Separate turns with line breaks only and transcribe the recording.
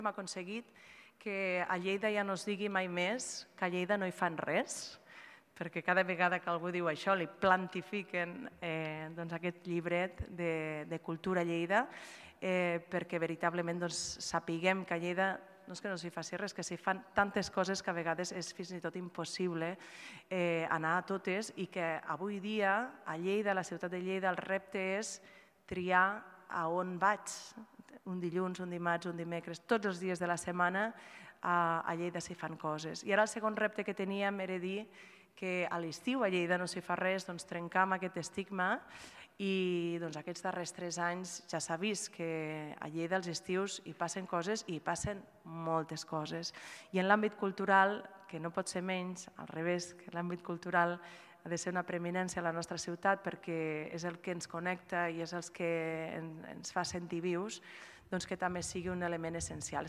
hem aconseguit que a Lleida ja no es digui mai més que a Lleida no hi fan res, perquè cada vegada que algú diu això li plantifiquen aquest llibret de Cultura Lleida, perquè veritablement sapiguem que a Lleida no és que no s'hi faci res, que s'hi fan tantes coses que a vegades és fins i tot impossible anar a totes i que avui dia a Lleida, a la ciutat de Lleida, el repte és triar a on vaig, un dilluns, un dimarts, un dimecres, tots els dies de la setmana a Lleida s'hi fan coses. I ara el segon repte que teníem era dir que a l'estiu a Lleida no s'hi fa res, trencar amb aquest estigma i aquests darrers 3 anys ja s'ha vist que a Lleida als estius hi passen coses i hi passen moltes coses. I en l'àmbit cultural, que no pot ser menys, al revés, que l'àmbit cultural ha de ser una preeminència a la nostra ciutat perquè és el que ens connecta i és el que ens fa sentir vius, que també sigui un element essencial.